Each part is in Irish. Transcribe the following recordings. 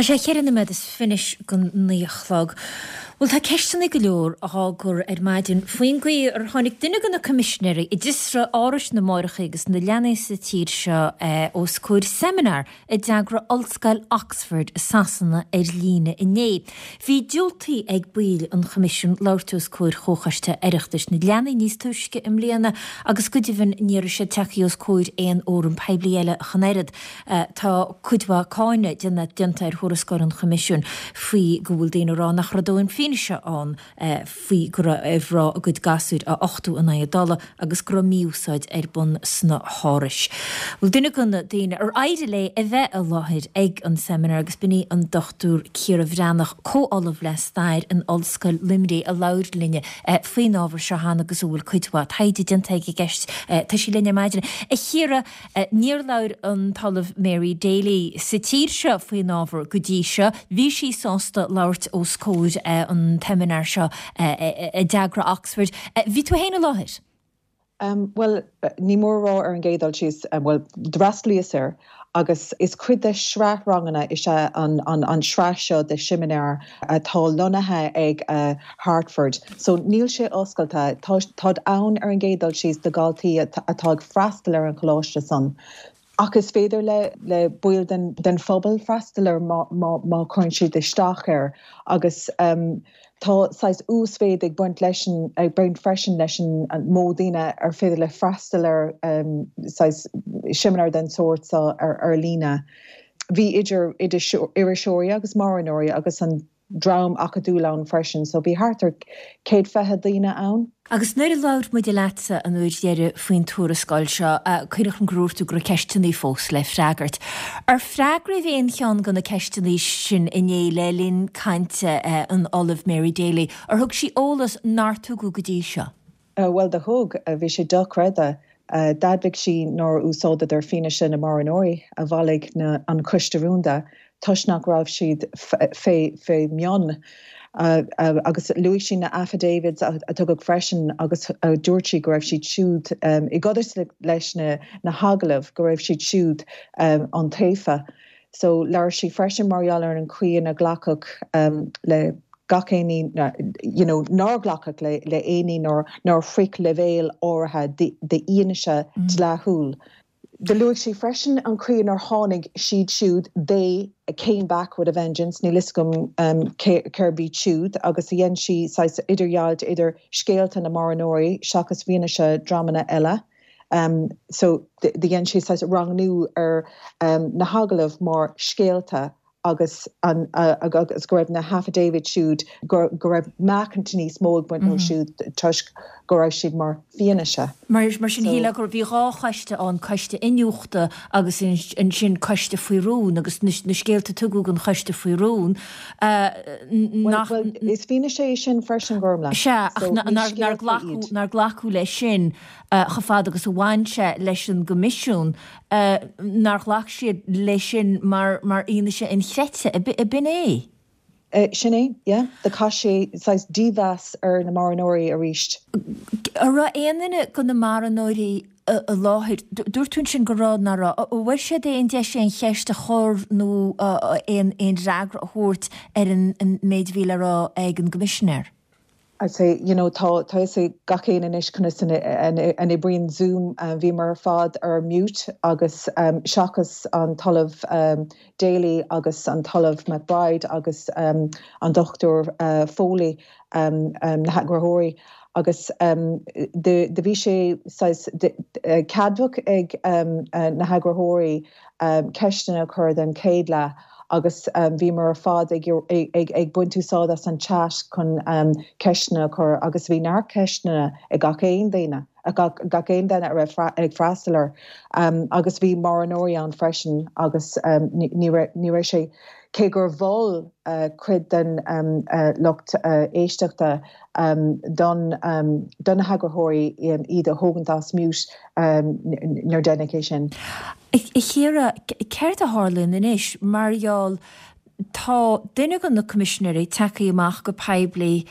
Tá sé cheithre noiméad is fiche don 9 a chlog. Bhuel, tá ceisteanna go leor á gcur ar maidin faoin gcaoi ar tháinig duine de na coimisinéirí a d'fhiosraigh árais na máithreacha agus na leanaí sa tír seo os comhair seimineár a d'eagraigh Ollscoil Oxford i Sasana ar líne inné. Bhí diúltaithe ag baill an Choimisiúin labhairt os comhair Chomhchoiste Oireachtais na Leanaí níos túisce i mbliana agus go deimhin ní raibh siad tagtha os comhair aon fhóram poiblí eile ach an oiread. Tá cuid mhaith cáineadh déanta ar thuarascáil an Choimisiúin faoi go bhfuil daoine ag rá nach raibh dóthain fianaise ann faoi go raibh a gcuid gasúir á uchtú in aghaidh a dtola agus go raibh mí-úsáid ar bun sna hárais. Bhuel, duine de na daoine ar éirigh léi a bheith i láthair ag an seimineár agus b'in í an Dr Ciara Bhreathnach, Comh-Ollamh le Stair in Ollscoil Luimnigh a labhair linne faoin ábhar seo cheana agus a bhfuil cuid mhaith taighde déanta aici i gceist. Tá sí linn ar maidin. A Chiara, Níor labhair an tOllamh Mary Daly sa tír seo faoin ábhar go dtí seo. Bhí sí sásta labhairt os comhair an tseimineáir seo a d'eagraigh Oxford. Bhí tú féin i láthair? Bhuel, ní mór a rá ar an gcéad dul síos, bhuel, d'fhreastalaíos air agus is cuid de shraith ranganna is ea an tsraith seo de sheimineáir atá lonnaithe ag Hartford. So níl sé oscailte. Táid ann ar an gcéad dul síos do dhaltaí atá ag freastal ar an choláiste san. Ach is féidir le le baill den den phobal freastal air má má má chuireann siad isteach air. Agus tá saghas uasmhéid ag baint leis an ag baint freisin leis an mó daoine ar féidir le freastal ar saghas seimineár den sórt seo ar ar líne. Bhí idir iriseoirí agus marthanóirí agus an dream acadúil ann freisin, so bhí thart ar 120 daoine ann. Agus nuair a labhair muide leatsa an uair dheiridh faoin tuarascáil seo, cuimhneach liom gur dhúirt tú go raibh ceisteanna fós le freagairt. Ar freagraíodh aon cheann de na ceisteanna sin inné le linn cainte an Ollaimh Mary Daly? Ar thug sí eolas nár tugadh go dtí seo? Bhuel, do thug. Bhí sé dochreidte. D'admhaigh sí nár úsáideadar fianaise na marthanóirí a bhailigh an Coiste Rúnda toisc nach raibh siad fé mhionn. Agus luaigh sí na affidavits a tugadh freisin agus dúirt sí go raibh siad siúd, i gcodarsnacht leis na hagallaimh, go raibh siad siúd iontaofa. So, labhair sí freisin mar gheall ar an chaoi inar glacadh le gach aon ní, you know, nár glacadh le le aon ní nár nár shroich leibhéal áirithe d'fhianaise dleathúil. Do luaigh sí freisin an chaoi inar tháinig siad siúd, they came back with a vengeance, níl fhios agam cérb iad siúd, agus dhein sí saghas idirdheighilt idir scéalta na marthanóirí seachas fianaise dreamanna eile. So, do dhein sí saghas rangnú ar na hagallaimh mar scéalta agus an agus go raibh na haffidavits siúd, go raibh meáchaint níos mó ag baint leo siúd toisc go raibh siad mar fianaise. Mar sin, shílfeá go bhí dhá choiste ann, coiste iniúchta agus ansin coiste faoi rún agus na scéalta a tugadh don choiste faoi rún nach. Bhuel, is fianaise é sin freisin, Gormlaith. Sea, ach nár glacadh leis sin. chomh fada agus a bhain sé leis an gCoimisiún, nár ghlac siad leis sin mar fhianaise inchreidte. Ab in é? Sin é, yeah. Do chaith sé saghas dímheas ar na marthanóirí arís. An raibh aon duine de na marthanóirí i láthair? Dúirt tú ansin go raibh, nach raibh. An bhfuair siad aon deis aon cheist a chur nó aon fhreagra a thabhairt ar an méid a bhí le rá ag an gCoimisinéir? I'd say, you know, tá tá fhios ag gach éinne anois conas an an oibríonn Zoom. Bhíomar ar fad ar mute agus seachas an tOllamh Daly agus an tOllamh McBride agus an Dr Foley, na heagarthóirí. Agus do bhí sé saghas ceadmhach ag na heagarthóirí ceisteanna a chur don chéad leath agus bhíomar ar fad ag ag baint úsáid as an chat chun ceisteanna a chur agus bhí neart ceisteanna ag gach aon duine, gach aon duine a raibh ag freastal air agus bhí marthanóirí ann freisin agus ní raibh ní raibh sé, cé gur mhol cuid den lucht éisteachta don do na heagarthóirí iad a thógaint as mute níor deineadh é sin. A Chiara, céard a tharlaíonn anois mar gheall. Tá duine de na coimisinéirí tagtha amach go poiblí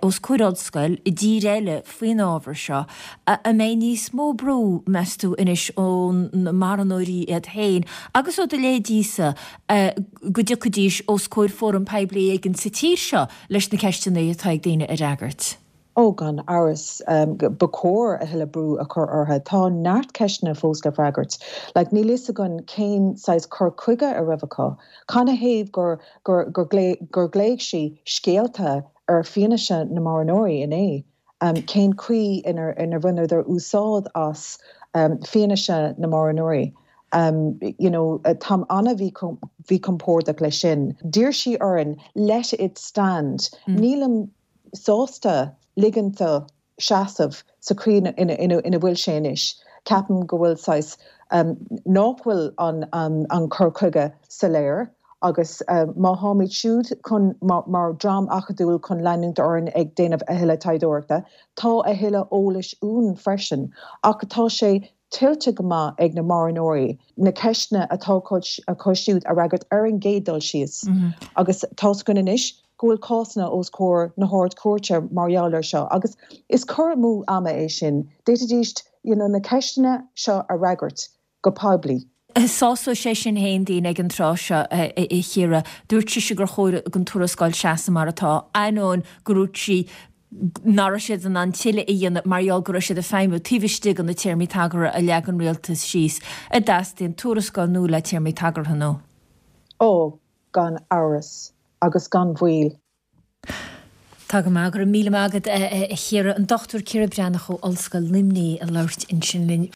os comhair ollscoil i dtír eile faoin ábhar seo. An mbeidh níos mó brú, meas tú, anois ó na marthanóirí iad féin agus ó do leithéidísa go dtiocfaidís os comhair fóram poiblí éigin sa tír seo leis na ceisteanna atá ag daoine a fhreagairt? Ó, gan amhras, ba chóir a thuilleadh brú a chur orthu. Tá neart ceisteanna fós le freagairt. Like, níl fhios againn cén saghas cur chuige a raibh acu. Canathaobh gur, gur, gur, gur ghlaoigh sí scéalta ar fianaise na marthanóirí inné? Cén chaoi inar, inar bhaineadar úsáid as fianaise na marthanóirí? You know, táim an-mhíchompordach leis sin. D'iarr sí orainn let it stand. Nílim sásta ligint dó seasamh sa chaoi ina bhfuil sé anois. Ceapaim go bhfuil saghas, nach bhfuil an cur chuige soiléir agus má tháimid siúd chun, mar dhream acadúil chun leanúint orainn ag déanamh a thuilleadh taighdeoireachta, tá a thuilleadh eolais uainn freisin ach tá sé tuillte go maith ag na marthanóirí na ceisteanna atá acu siúd a fhreagairt ar an gcéad dul síos agus tá's againn anois go bhfuil cásanna os comhair na hArd-Chúirte mar gheall air seo agus is cur amú ama é sin. D'fhéadfaidís you know na ceisteanna seo a fhreagairt go poiblí. Sásóidh sé sin féin daoine ag an tráth seo, a Chiara. Dúirt sise gur chóir don tuarascáil seasamh mar atá, ainneoin go ndúirt sí nach raibh siad in ann tuilleadh a dhéanamh mar gheall go raibh siad ag feidhmiú taobh istigh de na téarmaí tagartha a leag an rialtas síos. An dteastaíonn tuarascáil nua le téarmaí tagartha nua? Ó, gan amhras, agus gan mhoill. Tá go maith, go raibh míle maith agat a Chiara. An Dr Ciara Breathnach ó Ollscoil Luimnigh ag labhairt ansin linn.